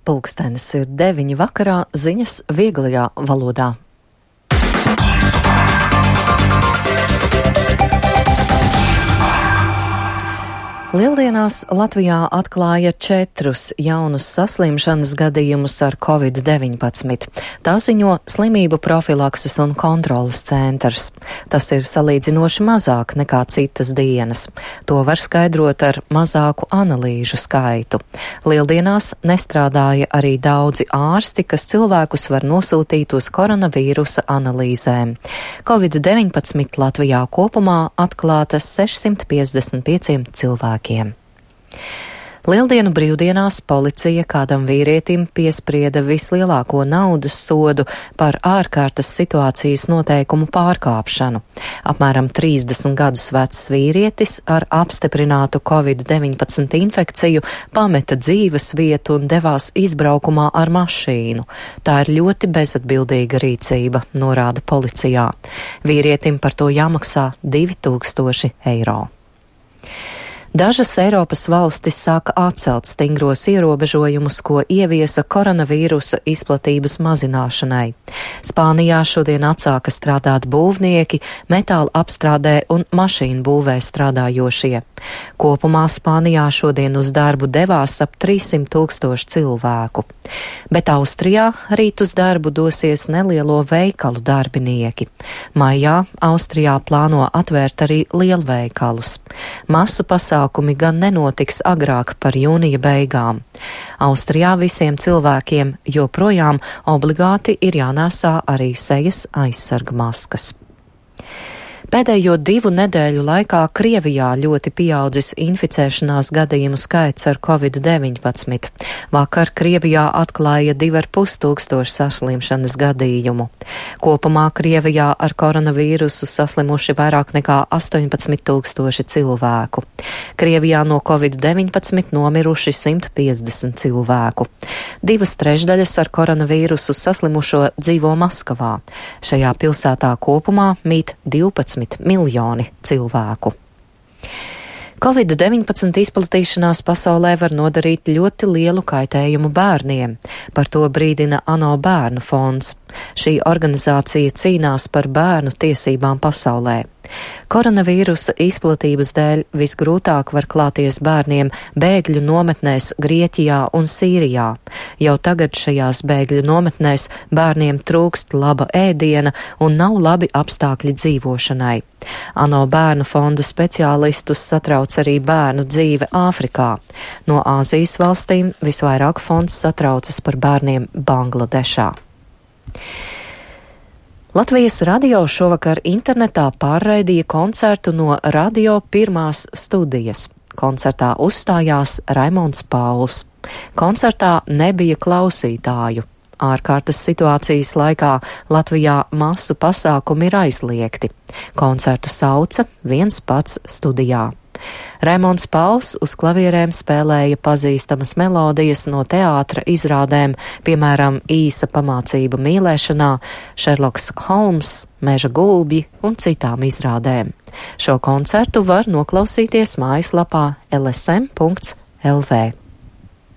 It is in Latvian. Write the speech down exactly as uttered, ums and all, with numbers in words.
Pulkstenis ir deviņi vakarā, ziņas vieglajā valodā. Lieldienās Latvijā atklāja četrus jaunus saslimšanas gadījumus ar covid deviņpadsmit. Tā ziņo Slimību profilakses un kontroles centrs. Tas ir salīdzinoši mazāk nekā citas dienas. To var skaidrot ar mazāku analīžu skaitu. Lieldienās nestrādāja arī daudzi ārsti, kas cilvēkus var nosūtīt uz koronavīrusa analīzēm. covid deviņpadsmit Latvijā kopumā atklātas sešsimt piecdesmit pieciem cilvēkiem. Lieldienu brīvdienās policija kādam vīrietim piesprieda vislielāko naudas sodu par ārkārtas situācijas noteikumu pārkāpšanu. Apmēram trīsdesmit gadus vecs vīrietis ar apstiprinātu covid deviņpadsmit infekciju pameta dzīves vietu un devās izbraukumā ar mašīnu. Tā ir ļoti bezatbildīga rīcība, norāda policijā. Vīrietim par to jāmaksā divi tūkstoši eiro. Dažas Eiropas valstis sāka atcelt stingros ierobežojumus, ko ieviesa koronavīrusa izplatības mazināšanai. Spānijā šodien atsāka strādāt būvnieki, metāla apstrādē un mašīnu būvē strādājošie. Kopumā Spānijā šodien uz darbu devās ap trīssimt tūkstoši cilvēku. Bet Austrijā rīt uz darbu dosies nelielo veikalu darbinieki. Maijā Austrijā plāno atvērt arī lielveikalus. Masu pasākumi gan nenotiks agrāk par jūnija beigām. Austrijā visiem cilvēkiem joprojām obligāti ir jānēsā arī sejas aizsarga maskas. Pēdējo divu nedēļu laikā Krievijā ļoti pieaudzis inficēšanās gadījumu skaits ar covid deviņpadsmit. Vakar Krievijā atklāja divi ar pus tūkstoši saslimšanas gadījumu. Kopumā Krievijā ar koronavīrusu saslimuši vairāk nekā astoņpadsmit tūkstoši cilvēku. Krievijā no covid deviņpadsmit nomiruši simt piecdesmit cilvēku. Divas trešdaļas ar koronavīrusu saslimušo dzīvo Maskavā. Šajā pilsētā kopumā mīt divpadsmit miljoni cilvēku. covid deviņpadsmit izplatīšanās pasaulē var nodarīt ļoti lielu kaitējumu bērniem. Par to brīdina ANO bērnu fonds. Šī organizācija cīnās par bērnu tiesībām pasaulē. Koronavīrusa izplatības dēļ visgrūtāk var klāties bērniem bēgļu nometnēs Grieķijā un Sīrijā. Jau tagad šajās bēgļu nometnēs bērniem trūkst laba ēdiena un nav labi apstākļi dzīvošanai. ANO bērnu fonda speciālistus satrauc arī bērnu dzīve Āfrikā. No Āzijas valstīm visvairāk fonds satraucas par bērniem Bangladešā. Latvijas radio šovakar internetā pārraidīja koncertu no radio pirmās studijas. Koncertā uzstājās Raimonds Pauls. Koncertā nebija klausītāju. Ārkārtas situācijas laikā Latvijā masu pasākumi ir aizliegti. Koncertu sauca viens pats studijā. Raimonds Pauls uz klavierēm spēlēja pazīstamas melodijas no teātra izrādēm, piemēram, Īsa pamācība mīlēšanā, Šerloks Holms, Meža gulbji un citām izrādēm. Šo koncertu var noklausīties mājaslapā l s m punkts l v.